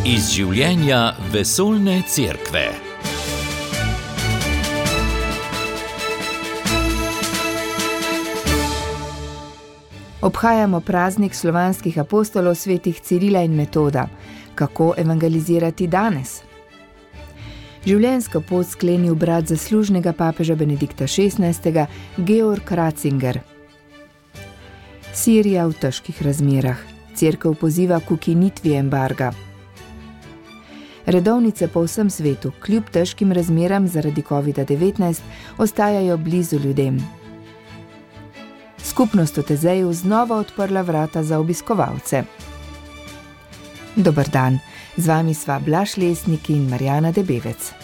Iz življenja vesoljne cerkve. Obhajamo praznik slovanskih apostolov svetih Cirila in Metoda. Kako evangelizirati danes? Življenjsko pot sklenil brat zaslužnega papeža Benedikta XVI. Georg Ratzinger. Sirija v težkih razmerah. Cerkev poziva k ukinitvi embarga. Redovnice po vsem svetu, kljub težkim razmeram zaradi COVID-19, ostajajo blizu ljudem. Skupnost v Tezeju znova odprla vrata za obiskovalce. Dober dan, z vami sva Blaž Lesnik in Marjana Debevec.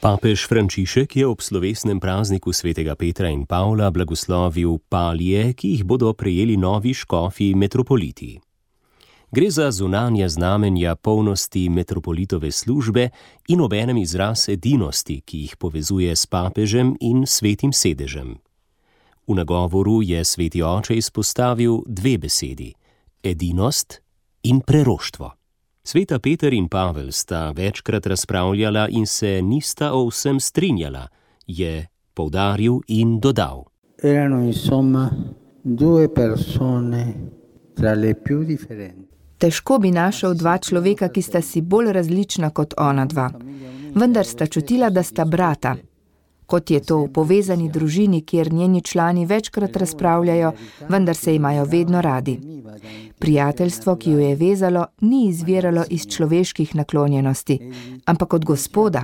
Papež Frančišek je ob slovesnem prazniku svetega Petra in Pavla blagoslovil palije, ki jih bodo prejeli novi škofi metropoliti. Gre za zunanja znamenja polnosti metropolitove službe in obenem izraz edinosti, ki jih povezuje s papežem in svetim sedežem. V nagovoru je sveti oče izpostavil dve besedi: edinost in preroštvo. Sveta Peter in Pavel sta večkrat razpravljala in se nista o vsem strinjala, je poudaril in dodal. Erano insomma due persone tra le più differenti. Težko bi našel dva človeka, ki sta si bolj različna kot ona dva. Vendar sta čutila, da sta brata. Kot je to v povezani družini, kjer njeni člani večkrat razpravljajo, vendar se imajo vedno radi. Prijateljstvo, ki jo je vezalo, ni izviralo iz človeških naklonjenosti, ampak od Gospoda.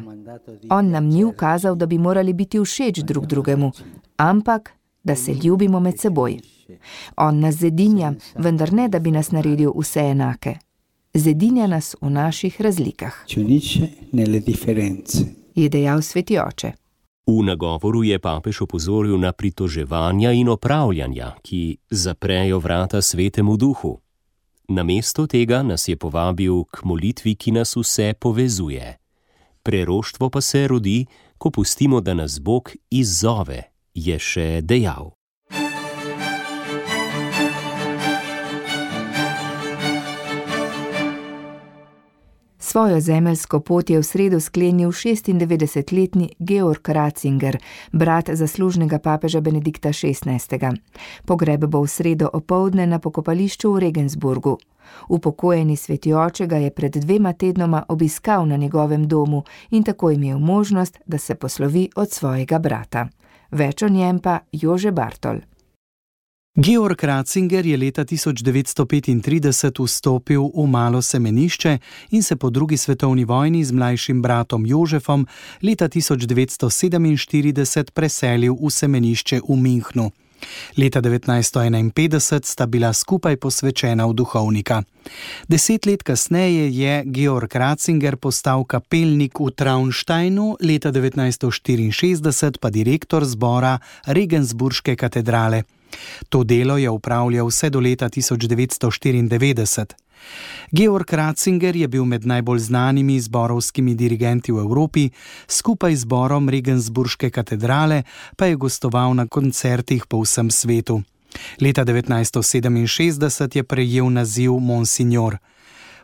On nam ni ukazal, da bi morali biti všeč drug drugemu, ampak da se ljubimo med seboj. On nas zedinja, vendar ne, da bi nas naredil vse enake. Zedinja nas v naših razlikah, je dejal sveti oče. V nagovoru je papež opozoril na pritoževanja in opravljanja, ki zaprejo vrata svetemu duhu. Namesto tega nas je povabil k molitvi, ki nas vse povezuje. Preroštvo pa se rodi, ko pustimo, da nas Bog izzove, je še dejal. Svojo zemeljsko pot je v sredo sklenil 96-letni Georg Ratzinger, brat zaslužnega papeža Benedikta XVI. Pogreb bo v sredo opoldne na pokopališču v Regensburgu. Upokojeni sveti oče ga je pred 2 tednoma obiskal na njegovem domu in tako imel možnost, da se poslovi od svojega brata. Več o njem pa Jože Bartol. Georg Ratzinger je leta 1935 vstopil v malo semenišče in se po drugi svetovni vojni z mlajšim bratom Jožefom leta 1947 preselil v semenišče v Münchnu. Leta 1951 sta bila skupaj posvečena v duhovnika. 10 let kasneje je Georg Ratzinger postal kapelnik v Traunsteinu, leta 1964 pa direktor zbora Regensburške katedrale. To delo je upravljal vse do leta 1994. Georg Ratzinger je bil med najbolj znanimi zborovskimi dirigenti v Evropi, skupaj z zborom Regensburške katedrale pa je gostoval na koncertih po vsem svetu. Leta 1967 je prejel naziv monsignor.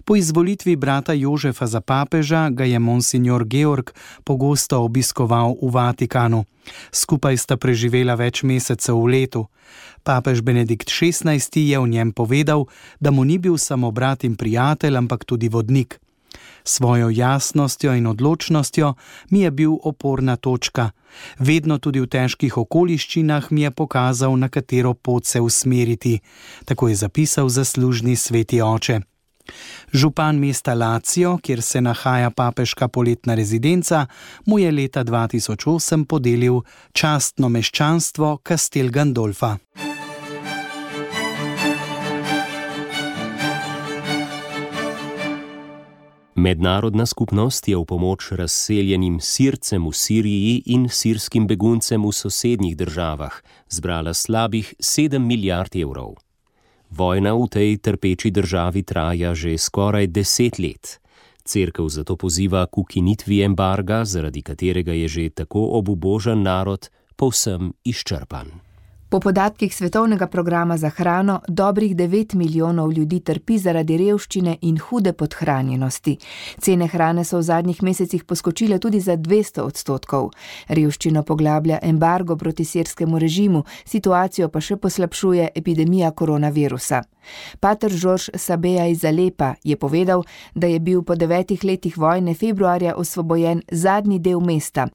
Po izvolitvi brata Jožefa za papeža ga je monsignor Georg pogosto obiskoval v Vatikanu. Skupaj sta preživela več mesecev v letu. Papež Benedikt XVI. Je o njem povedal, da mu ni bil samo brat in prijatelj, ampak tudi vodnik. Svojo jasnostjo in odločnostjo mi je bil oporna točka. Vedno tudi v težkih okoliščinah mi je pokazal, na katero pot se usmeriti. Tako je zapisal zaslužni sveti oče. Župan mesta Lazio, kjer se nahaja papeška poletna rezidenca, mu je leta 2008 podelil častno meščanstvo Castel Gandolfa. Mednarodna skupnost je v pomoč razseljenim Sircem v Siriji in sirskim beguncem v sosednjih državah zbrala slabih 7 milijard evrov. Vojna v tej trpeči državi traja že skoraj 10 let. Cerkev zato poziva k ukinitvi embarga, zaradi katerega je že tako obubožan narod povsem izčrpan. Po podatkih Svetovnega programa za hrano, dobrih 9 milijonov ljudi trpi zaradi revščine in hude podhranjenosti. Cene hrane so v zadnjih mesecih poskočile tudi za 200%. Revščino poglablja embargo proti sirskemu režimu, situacijo pa še poslabšuje epidemija koronavirusa. Pater Žorž Sabeja iz Alepa je povedal, da je bil po 9 letih vojne februarja osvobojen zadnji del mesta.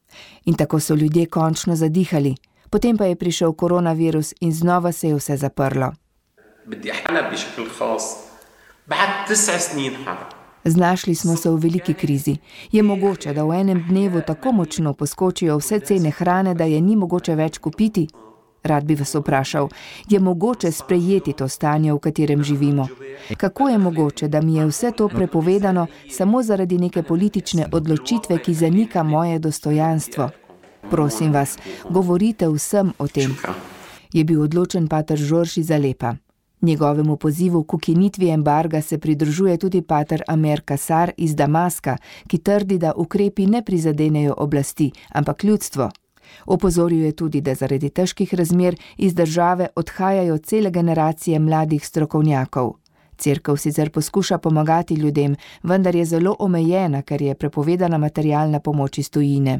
In tako so ljudje končno zadihali. Potem pa je prišel koronavirus in znova se je vse zaprlo. Znašli smo se v veliki krizi. Je mogoče, da v enem dnevu tako močno poskočijo vse cene hrane, da je ni mogoče več kupiti? Rad bi vas vprašal, je mogoče sprejeti to stanje, v katerem živimo? Kako je mogoče, da mi je vse to prepovedano samo zaradi neke politične odločitve, ki zanika moje dostojanstvo? Prosim vas, govorite vsem o tem. Je bil odločen pater Žorž iz Alepa. Njegovemu pozivu k ukinitvi embarga se pridružuje tudi pater Amer Kasar iz Damaska, ki trdi, da ukrepi ne prizadenejo oblasti, ampak ljudstvo. Opozoril je tudi, da zaradi težkih razmer iz države odhajajo cele generacije mladih strokovnjakov. Cerkev sicer poskuša pomagati ljudem, vendar je zelo omejena, ker je prepovedana materialna pomoč iz tujine.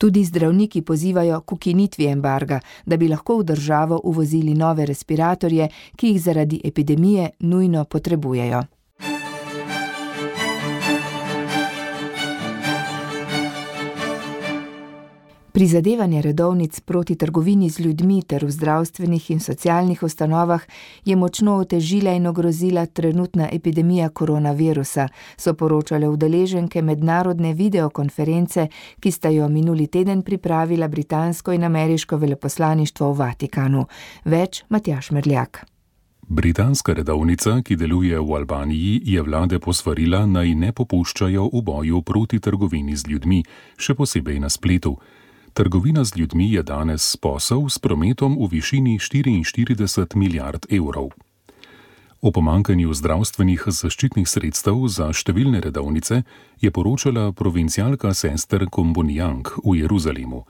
Tudi zdravniki pozivajo k ukinitvi embarga, da bi lahko v državo uvozili nove respiratorje, ki jih zaradi epidemije nujno potrebujejo. Prizadevanje redovnic proti trgovini z ljudmi ter v zdravstvenih in socialnih ustanovah je močno otežila in ogrozila trenutna epidemija koronavirusa, so poročale udeleženke mednarodne videokonference, ki sta jo minuli teden pripravila britansko in ameriško veleposlaništvo v Vatikanu. Več Matjaž Merljak. Britanska redovnica, ki deluje v Albaniji, je vlade posvarila, naj ne popuščajo v boju proti trgovini z ljudmi, še posebej na spletu. Trgovina z ljudmi je danes posel s prometom v višini 44 milijard evrov. O pomanjkanju zdravstvenih zaščitnih sredstev za številne redovnice je poročala provincialka sester Kombonijang v Jeruzalemu.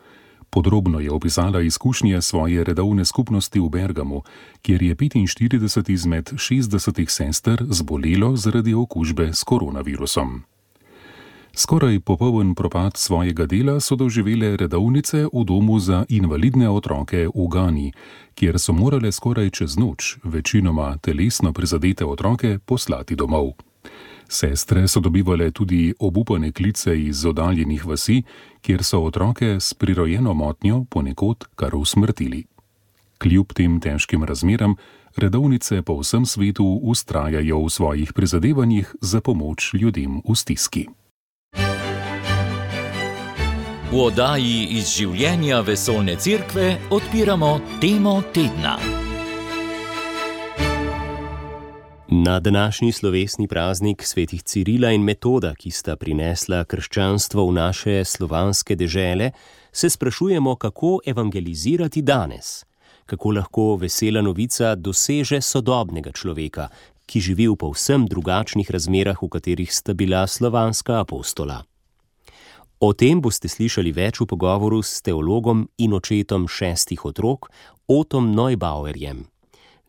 Podrobno je opisala izkušnje svoje redovne skupnosti v Bergamu, kjer je 45 izmed 60 sester zbolelo zaradi okužbe s koronavirusom. Skoraj popoln propad svojega dela so doživele redovnice v domu za invalidne otroke v Gani, kjer so morale skoraj čez noč večinoma telesno prizadete otroke poslati domov. Sestre so dobivale tudi obupane klice iz oddaljenih vasi, kjer so otroke s prirojeno motnjo ponekod kar usmrtili. Kljub tem težkim razmeram, redovnice po vsem svetu vztrajajo v svojih prizadevanjih za pomoč ljudem v stiski. V oddaji iz življenja vesoljne cerkve odpiramo temo tedna. Na današnji slovesni praznik svetih Cirila in Metoda, ki sta prinesla krščanstvo v naše slovanske dežele, se sprašujemo, kako evangelizirati danes, kako lahko vesela novica doseže sodobnega človeka, ki živi v povsem drugačnih razmerah, v katerih sta bila slovanska apostola. O tem boste slišali več v pogovoru s teologom in očetom 6 otrok, Otom Neubauerjem.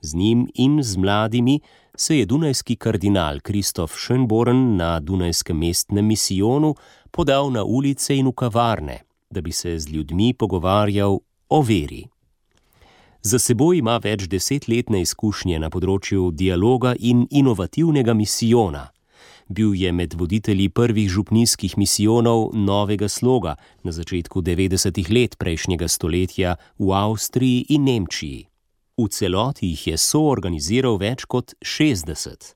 Z njim in z mladimi se je dunajski kardinal Kristof Schönborn na dunajskem mestnem misijonu podal na ulice in v kavarne, da bi se z ljudmi pogovarjal o veri. Za seboj ima več 10-letne izkušnje na področju dialoga in inovativnega misijona. Bil je med voditelji prvih župnijskih misijonov novega sloga na začetku 90. let prejšnjega stoletja v Avstriji in Nemčiji. V celoti jih je soorganiziral več kot 60.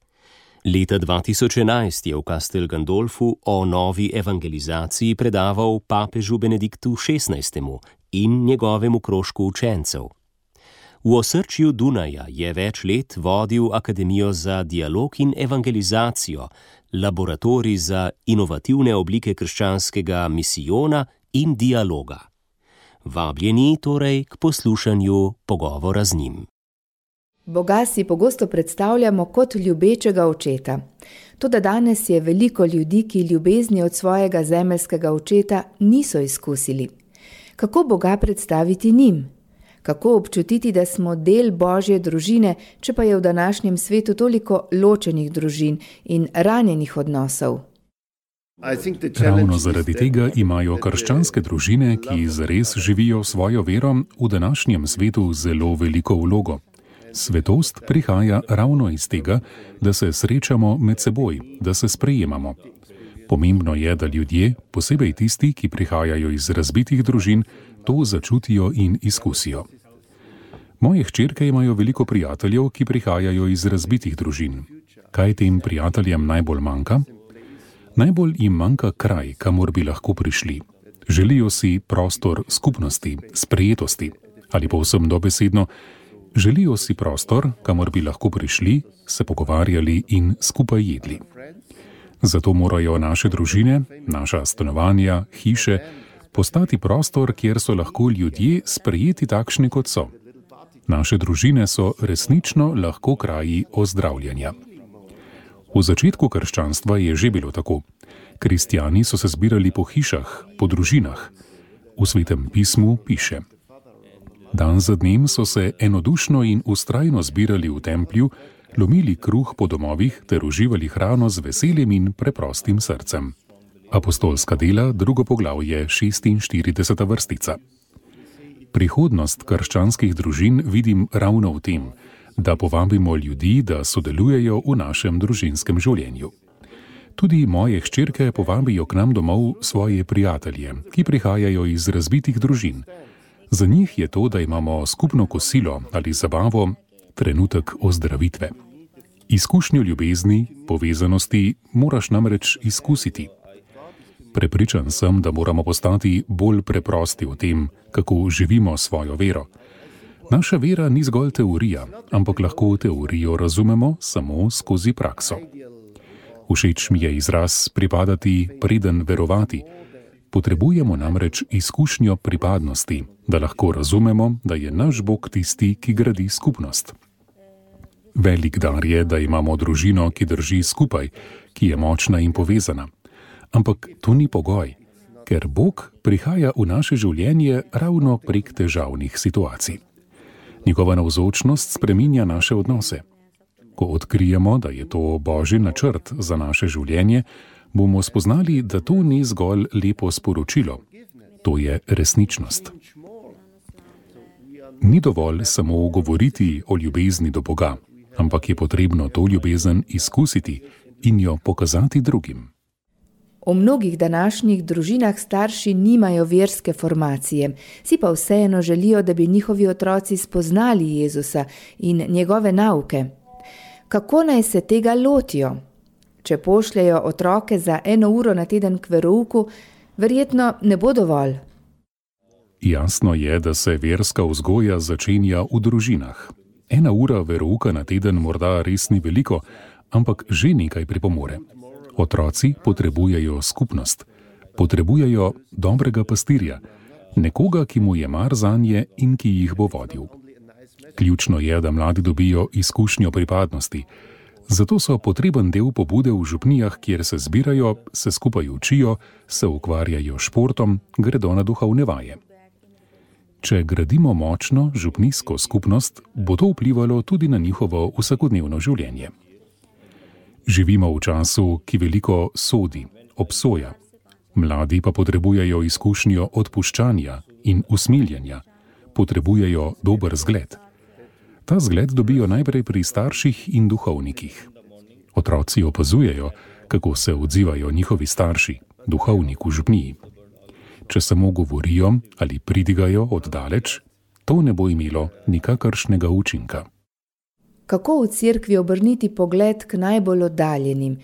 Leta 2011 je v Castel Gandolfu o novi evangelizaciji predaval papežu Benediktu XVI. In njegovemu krožku učencev. V osrčju Dunaja je več let vodil Akademijo za dialog in evangelizacijo, laboratorij za inovativne oblike krščanskega misijona in dialoga. Vabljeni torej k poslušanju pogovora z njim. Boga si pogosto predstavljamo kot ljubečega očeta. Toda danes je veliko ljudi, ki ljubezni od svojega zemeljskega očeta niso izkusili. Kako Boga predstaviti njim? Kako občutiti, da smo del Božje družine, če pa je v današnjem svetu toliko ločenih družin in ranjenih odnosov? Ravno zaradi tega imajo krščanske družine, ki zares živijo svojo vero, v današnjem svetu zelo veliko vlogo. Svetost prihaja ravno iz tega, da se srečamo med seboj, da se sprejemamo. Pomembno je, da ljudje, posebej tisti, ki prihajajo iz razbitih družin, to začutijo in izkusijo. Moje hčerke imajo veliko prijateljev, ki prihajajo iz razbitih družin. Kaj tem prijateljem najbolj manjka? Najbolj jim manjka kraj, kamor bi lahko prišli. Želijo si prostor skupnosti, sprejetosti. Ali povsem dobesedno, želijo si prostor, kamor bi lahko prišli, se pogovarjali in skupaj jedli. Zato morajo naše družine, naša stanovanja, hiše postati prostor, kjer so lahko ljudje sprejeti takšni, kot so. Naše družine so resnično lahko kraji ozdravljanja. V začetku krščanstva je že bilo tako. Kristjani so se zbirali po hišah, po družinah. V Svetem pismu piše: Dan za dnem so se enodušno in vztrajno zbirali v templju, lomili kruh po domovih ter uživali hrano z veseljem in preprostim srcem. Apostolska dela, 2. poglavje, 46. vrstica. Prihodnost krščanskih družin vidim ravno v tem, da povabimo ljudi, da sodelujejo v našem družinskem življenju. Tudi moje hčerke povabijo k nam domov svoje prijatelje, ki prihajajo iz razbitih družin. Za njih je to, da imamo skupno kosilo ali zabavo, trenutek ozdravitve. Izkušnjo ljubezni, povezanosti moraš namreč izkusiti. Prepričan sem, da moramo postati bolj preprosti v tem, kako živimo svojo vero. Naša vera ni zgolj teorija, ampak lahko teorijo razumemo samo skozi prakso. Všeč mi je izraz pripadati, preden verovati. Potrebujemo namreč izkušnjo pripadnosti, da lahko razumemo, da je naš Bog tisti, ki gradi skupnost. Velik dar je, da imamo družino, ki drži skupaj, ki je močna in povezana. Ampak to ni pogoj, ker Bog prihaja v naše življenje ravno prek težavnih situacij. Njegova navzočnost spreminja naše odnose. Ko odkrijemo, da je to Božji načrt za naše življenje, bomo spoznali, da to ni zgolj lepo sporočilo. To je resničnost. Ni dovolj samo govoriti o ljubezni do Boga, ampak je potrebno to ljubezen izkusiti in jo pokazati drugim. V mnogih današnjih družinah starši nimajo verske formacije, si pa vseeno želijo, da bi njihovi otroci spoznali Jezusa in njegove nauke. Kako naj se tega lotijo? Če pošljejo otroke za 1 uro na teden k verouku, verjetno ne bo dovolj. Jasno je, da se verska vzgoja začenja v družinah. 1 ura verouka na teden morda res ni veliko, ampak že nekaj pripomore. Otroci potrebujejo skupnost, potrebujejo dobrega pastirja, nekoga, ki mu je mar zanje in ki jih bo vodil. Ključno je, da mladi dobijo izkušnjo pripadnosti. Zato so potreben del pobude v župnijah, kjer se zbirajo, se skupaj učijo, se ukvarjajo športom, gredo na duhovne vaje. Če gradimo močno župnijsko skupnost, bo to vplivalo tudi na njihovo vsakodnevno življenje. Živimo v času, ki veliko sodi, obsoja. Mladi pa potrebujejo izkušnjo odpuščanja in usmiljenja. Potrebujejo dober zgled. Ta zgled dobijo najprej pri starših in duhovnikih. Otroci opazujejo, kako se odzivajo njihovi starši, duhovnik v župniji. Če samo govorijo ali pridigajo od daleč, to ne bo imelo nikakršnega učinka. Kako v cerkvi obrniti pogled k najbolj oddaljenim,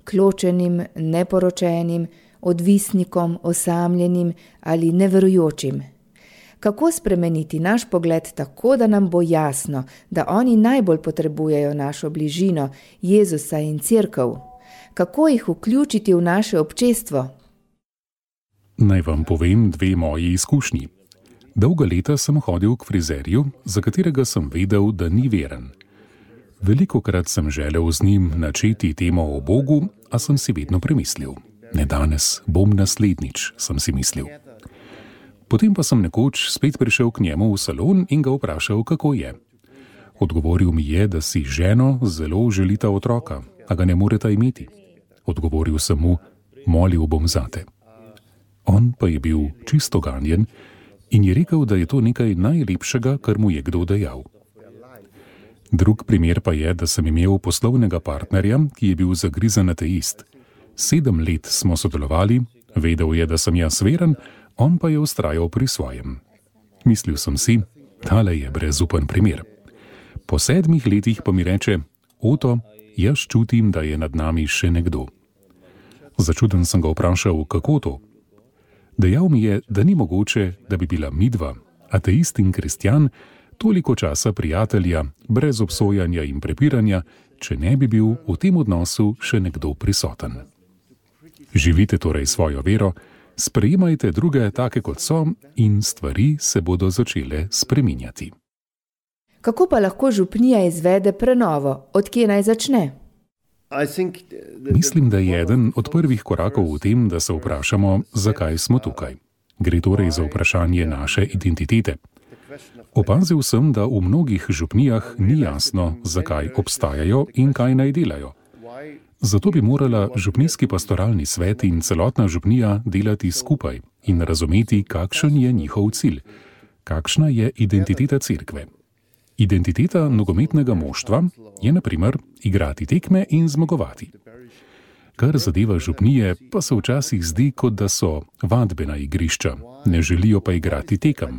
k ločenim, neporočenim, odvisnikom, osamljenim ali neverujočim? Kako spremeniti naš pogled tako, da nam bo jasno, da oni najbolj potrebujejo našo bližino, Jezusa in cerkev? Kako jih vključiti v naše občestvo? Naj vam povem 2 moji izkušnji. Dolga leta sem hodil k frizerju, za katerega sem vedel, da ni veren. Velikokrat sem želel z njim načeti temo o Bogu, a sem si vedno premislil. Ne danes, bom naslednjič, sem si mislil. Potem pa sem nekoč spet prišel k njemu v salon in ga vprašal, kako je. Odgovoril mi je, da si ženo zelo želita otroka, a ga ne moreta imeti. Odgovoril sem mu, molil bom zate. On pa je bil čisto ganjen in je rekel, da je to nekaj najlepšega, kar mu je kdo dejal. Drug primer pa je, da sem imel poslovnega partnerja, ki je bil zagrizen ateist. 7 let smo sodelovali, vedel je, da sem jaz veren, on pa je vztrajal pri svojem. Mislil sem si, tale je brezupen primer. Po 7 letih pa mi reče, Oto, jaz čutim, da je nad nami še nekdo. Začuden sem ga vprašal, kako to? Dejal mi je, da ni mogoče, da bi bila midva, ateist in kristjan, toliko časa prijatelja, brez obsojanja in prepiranja, če ne bi bil v tem odnosu še nekdo prisoten. Živite torej svojo vero, sprejemajte druge take kot so in stvari se bodo začele spreminjati. Kako pa lahko župnija izvede prenovo? Od kje naj začne? Mislim, da je eden od prvih korakov v tem, da se vprašamo, zakaj smo tukaj. Gre torej za vprašanje naše identitete. Opazil sem, da v mnogih župnijah ni jasno, zakaj obstajajo in kaj naj delajo. Zato bi morala župnijski pastoralni svet in celotna župnija delati skupaj in razumeti, kakšen je njihov cilj, kakšna je identiteta cerkve. Identiteta nogometnega moštva je, na primer, igrati tekme in zmagovati. Kar zadeva župnije, pa se včasih zdi, kot da so vadbena igrišča, ne želijo pa igrati tekem.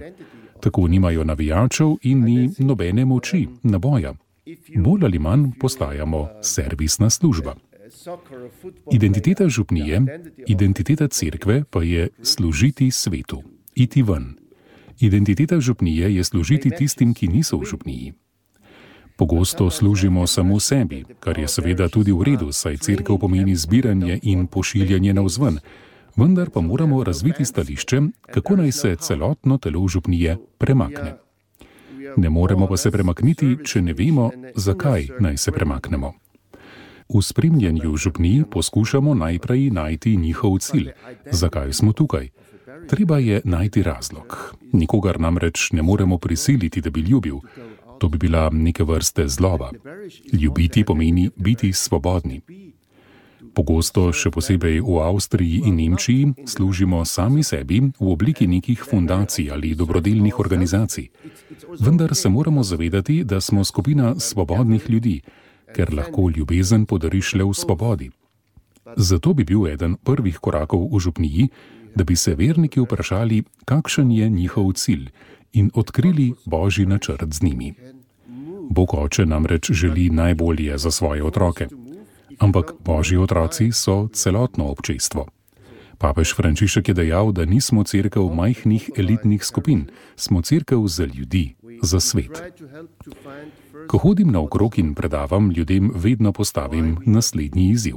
Tako nimajo navijačev in ni nobene moči, naboja. Bolj ali manj postajamo servisna služba. Identiteta župnije, identiteta cerkve pa je služiti svetu, iti ven. Identiteta župnije je služiti tistim, ki niso v župniji. Pogosto služimo samo sebi, kar je seveda tudi v redu, saj cerkev pomeni zbiranje in pošiljanje navzven, vendar pa moramo razviti stališče, kako naj se celotno telo župnije premakne. Ne moremo pa se premakniti, če ne vemo, zakaj naj se premaknemo. V spremljanju župnij poskušamo najprej najti njihov cilj, zakaj smo tukaj. Treba je najti razlog. Nikogar namreč ne moremo prisiliti, da bi ljubil. To bi bila neke vrste zloba. Ljubiti pomeni biti svobodni. Pogosto, še posebej v Avstriji in Nemčiji, služimo sami sebi v obliki nekih fundacij ali dobrodelnih organizacij. Vendar se moramo zavedati, da smo skupina svobodnih ljudi, ker lahko ljubezen podariš le v svobodi. Zato bi bil eden prvih korakov v župniji, da bi se verniki vprašali, kakšen je njihov cilj in odkrili Božji načrt z njimi. Bog Oče namreč želi najbolje za svoje otroke. Ampak Božji otroci so celotno občestvo. Papež Frančišek je dejal, da nismo cerkev majhnih elitnih skupin, smo cerkev za ljudi, za svet. Ko hodim naokrog in predavam, ljudem vedno postavim naslednji izziv.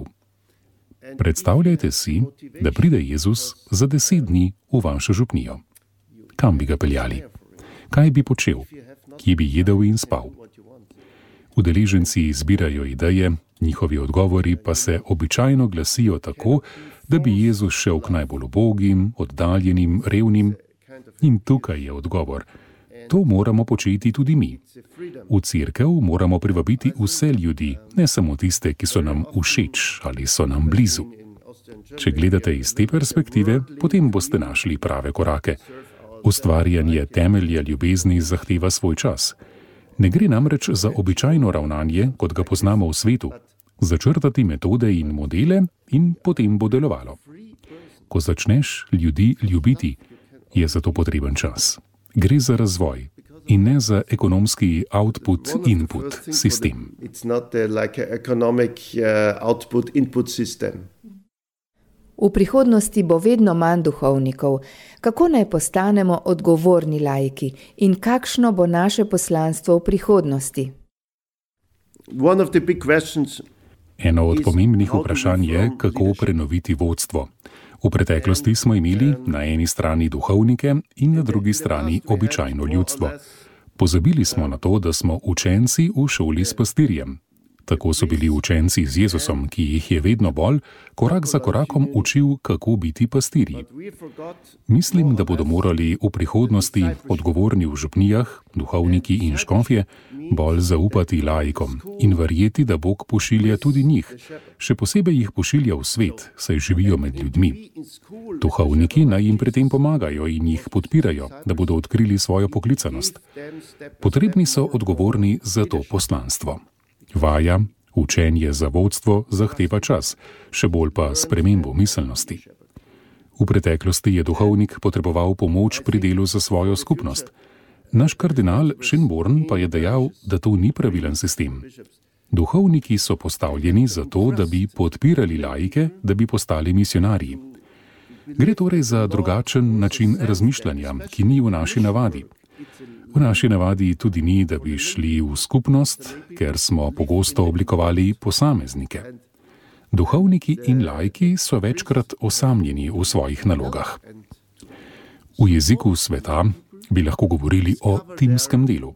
Predstavljajte si, da pride Jezus za 10 dni v vašo župnijo. Kam bi ga peljali? Kaj bi počel? Kje bi jedel in spal? Udeleženci izbirajo ideje, njihovi odgovori pa se običajno glasijo tako, da bi Jezus šel k najbolj ubogim, oddaljenim, revnim. In tukaj je odgovor. To moramo početi tudi mi. V cerkev moramo privabiti vse ljudi, ne samo tiste, ki so nam všeč ali so nam blizu. Če gledate iz te perspektive, potem boste našli prave korake. Ustvarjanje temelja ljubezni zahteva svoj čas. Ne gre namreč za običajno ravnanje, kot ga poznamo v svetu. Začrtati metode in modele in potem bo delovalo. Ko začneš ljudi ljubiti, je za to potreben čas. Gre za razvoj in ne za ekonomski output-input sistem. V prihodnosti bo vedno manj duhovnikov. Kako naj postanemo odgovorni laiki in kakšno bo naše poslanstvo v prihodnosti? Eno od pomembnih vprašanj je, kako prenoviti vodstvo. V preteklosti smo imeli na eni strani duhovnike in na drugi strani običajno ljudstvo. Pozabili smo na to, da smo učenci v šoli s pastirjem. Tako so bili učenci z Jezusom, ki jih je vedno bolj, korak za korakom učil, kako biti pastirji. Mislim, da bodo morali v prihodnosti odgovorni v župnijah, duhovniki in škofje, bolj zaupati laikom in verjeti, da Bog pošilja tudi njih. Še posebej jih pošilja v svet, saj živijo med ljudmi. Duhovniki naj jim pri tem pomagajo in jih podpirajo, da bodo odkrili svojo poklicanost. Potrebni so odgovorni za to poslanstvo. Vaja, učenje za vodstvo zahteva čas, še bolj pa spremembo miselnosti. V preteklosti je duhovnik potreboval pomoč pri delu za svojo skupnost. Naš kardinal Schönborn pa je dejal, da to ni pravilen sistem. Duhovniki so postavljeni zato, da bi podpirali laike, da bi postali misionarji. Gre torej za drugačen način razmišljanja, ki ni v naši navadi. V naši navadi tudi ni, da bi šli v skupnost, ker smo pogosto oblikovali posameznike. Duhovniki in laiki so večkrat osamljeni v svojih nalogah. V jeziku sveta bi lahko govorili o timskem delu.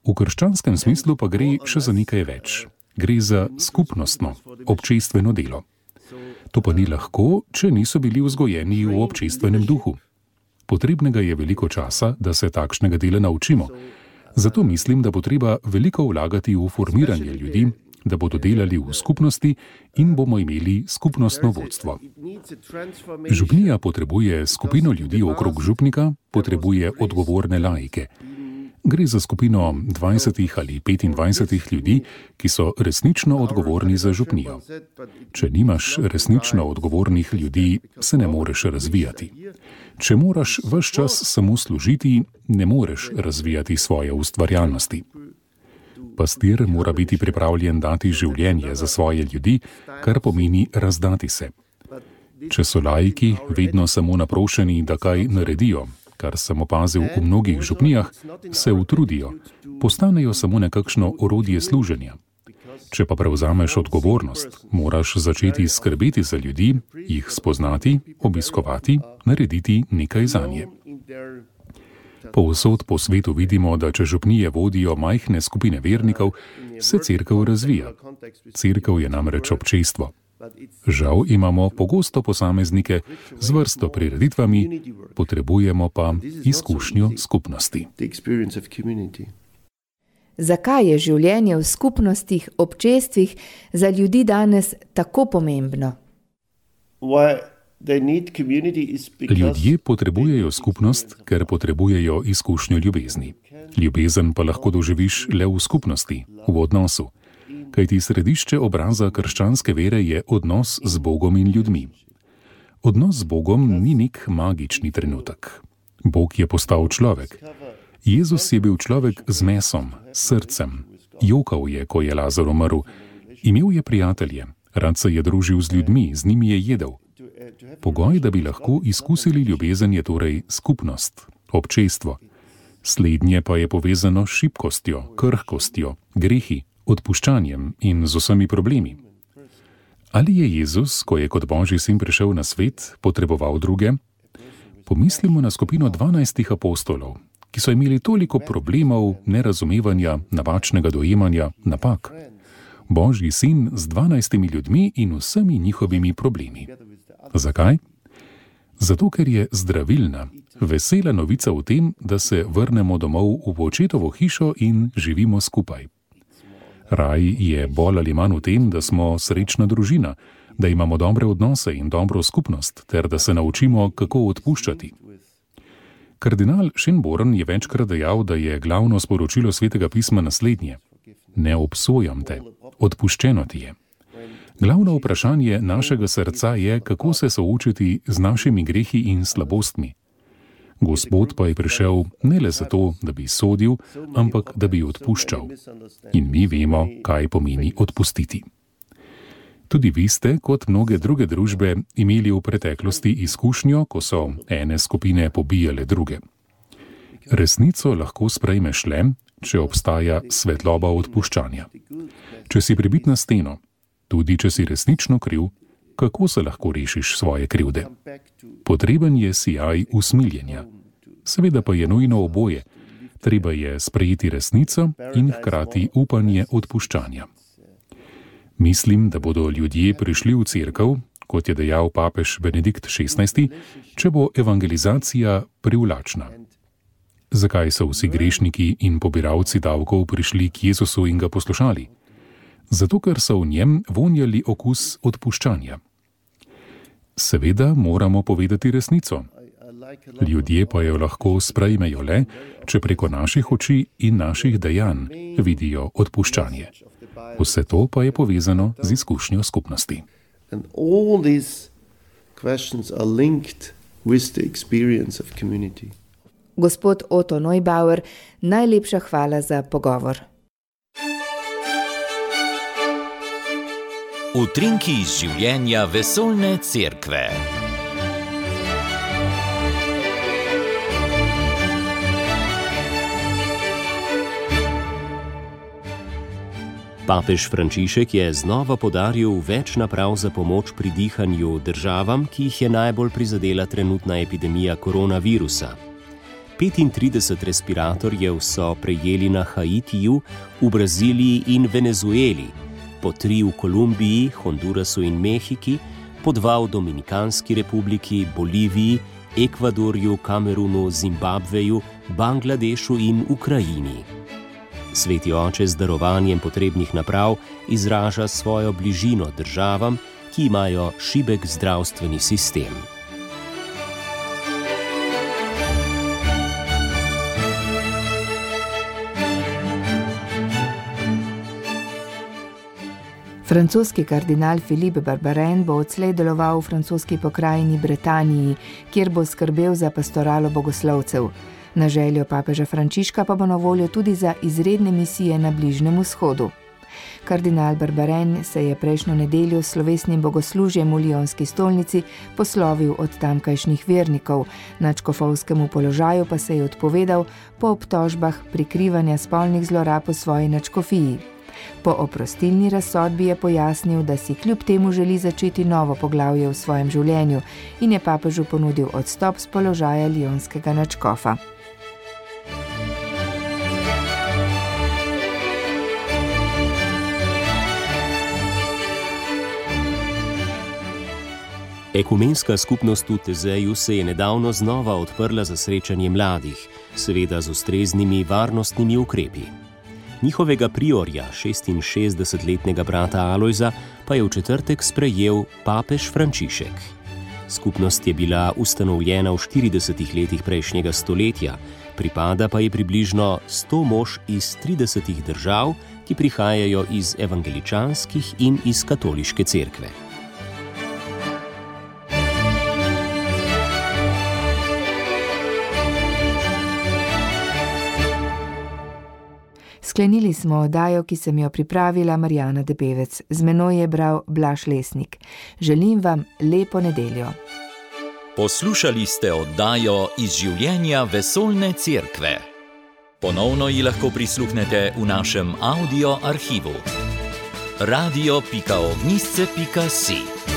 V krščanskem smislu pa gre še za nekaj več. Gre za skupnostno, občestveno delo. To pa ni lahko, če niso bili vzgojeni v občestvenem duhu. Potrebnega je veliko časa, da se takšnega dela naučimo. Zato mislim, da bo treba veliko vlagati v formiranje ljudi, da bodo delali v skupnosti in bomo imeli skupnostno vodstvo. Župnija potrebuje skupino ljudi okrog župnika, potrebuje odgovorne laike. Gre za skupino 20 ali 25 ljudi, ki so resnično odgovorni za župnijo. Če nimaš resnično odgovornih ljudi, se ne moreš razvijati. Če moraš ves čas samo služiti, ne moreš razvijati svoje ustvarjalnosti. Pastir mora biti pripravljen dati življenje za svoje ljudi, kar pomeni razdati se. Če so laiki vedno samo naprošeni, da kaj naredijo, kar sem opazil v mnogih župnijah, se utrudijo, postanejo samo nekakšno orodje služenja. Če pa prevzameš odgovornost, moraš začeti skrbeti za ljudi, jih spoznati, obiskovati, narediti nekaj zanje. Povsod po svetu vidimo, da če župnije vodijo majhne skupine vernikov, se cerkev razvija. Cerkev je namreč občestvo. Žal imamo pogosto posameznike z vrsto prireditvami, potrebujemo pa izkušnjo skupnosti. Zakaj je življenje v skupnostih, občestvih za ljudi danes tako pomembno? Ljudje potrebujejo skupnost, ker potrebujejo izkušnjo ljubezni. Ljubezen pa lahko doživiš le v skupnosti, v odnosu. Kajti središče obraza krščanske vere je odnos z Bogom in ljudmi. Odnos z Bogom ni nek magični trenutek. Bog je postal človek. Jezus je bil človek z mesom, srcem. Jokal je, ko je Lazar umrl. Imel je prijatelje, rad se je družil z ljudmi, z njimi je jedel. Pogoj, da bi lahko izkusili ljubezen, je torej skupnost, občestvo. Slednje pa je povezano s šibkostjo, krhkostjo, grehi, odpuščanjem in z vsemi problemi. Ali je Jezus, ko je kot Božji sin prišel na svet, potreboval druge? Pomislimo na skupino 12 apostolov, ki so imeli toliko problemov, nerazumevanja, napačnega dojemanja, napak. Božji sin z 12 ljudmi in vsemi njihovimi problemi. Zakaj? Zato, ker je zdravilna, vesela novica v tem, da se vrnemo domov v očetovo hišo in živimo skupaj. Raj je bolj ali manj v tem, da smo srečna družina, da imamo dobre odnose in dobro skupnost, ter da se naučimo, kako odpuščati. Kardinal Schönborn je večkrat dejal, da je glavno sporočilo Svetega pisma naslednje: ne obsojam te, odpuščeno ti je. Glavno vprašanje našega srca je, kako se soočiti z našimi grehi in slabostmi. Gospod pa je prišel ne le zato, da bi sodil, ampak da bi odpuščal. In mi vemo, kaj pomeni odpustiti. Tudi vi ste, kot mnoge druge družbe, imeli v preteklosti izkušnjo, ko so ene skupine pobijale druge. Resnico lahko sprejmeš le, če obstaja svetloba odpuščanja. Če si pribit na steno, tudi če si resnično kriv, kako se lahko rešiš svoje krivde? Potreben je sijaj usmiljenja. Seveda pa je nujno oboje. Treba je sprejeti resnico in hkrati upanje odpuščanja. Mislim, da bodo ljudje prišli v cerkev, kot je dejal papež Benedikt XVI, če bo evangelizacija privlačna. Zakaj so vsi grešniki in pobiralci davkov prišli k Jezusu in ga poslušali? Zato, ker so v njem vonjali okus odpuščanja. Seveda moramo povedati resnico. Ljudje pa jo lahko sprejmejo le, če preko naših oči in naših dejanj vidijo odpuščanje. Vse to pa je povezano z izkušnjo skupnosti. And all these questions are linked with the experience of community. Gospod Otto Neubauer, najlepša hvala za pogovor. Utrinki iz življenja vesoljne cerkve. Papež Frančišek je znova poudaril več naprav za pomoč pri dihanju državam, ki jih je najbolj prizadela trenutna epidemija koronavirusa. 35 respiratorjev so prejeli na Haitiju, v Braziliji in Venezueli, po 3 v Kolumbiji, Hondurasu in Mehiki, po 2 v Dominikanski republiki, Boliviji, Ekvadorju, Kamerunu, Zimbabveju, Bangladešu in Ukrajini. Sveti oče z darovanjem potrebnih naprav izraža svojo bližino državam, ki imajo šibek zdravstveni sistem. Francoski kardinal Philippe Barbarin bo odslej deloval v francoski pokrajini Bretaniji, kjer bo skrbel za pastoralo bogoslovcev. Na željo papeža Frančiška pa bo na voljo tudi za izredne misije na Bližnjem vzhodu. Kardinal Barbarin se je prejšnjo nedeljo s slovesnim bogoslužjem v Lionski stolnici poslovil od tamkajšnjih vernikov, nadškofovskemu položaju pa se je odpovedal po obtožbah prikrivanja spolnih zlorab v svoji nadškofiji. Po oprostilni razsodbi je pojasnil, da si kljub temu želi začeti novo poglavje v svojem življenju in je papežu ponudil odstop z položaja lionskega nadškofa. Ekumenska skupnost v Tezeju se je nedavno znova odprla za srečanje mladih, seveda z ustreznimi varnostnimi ukrepi. Njihovega priorja, 66-letnega brata Alojza, pa je v četrtek sprejel papež Frančišek. Skupnost je bila ustanovljena v 40 letih prejšnjega stoletja, pripada pa je približno 100 mož iz 30 držav, ki prihajajo iz evangeličanskih in iz katoliške cerkve. Sklenili smo oddajo, ki sem jo pripravila Marjana Debevec. Z menoj je bral Blaž Lesnik. Želim vam lepo nedeljo. Poslušali ste oddajo iz življenja vesoljne cerkve. Ponovno ji lahko prisluhnete v našem audio arhivu. radio.ognisce.si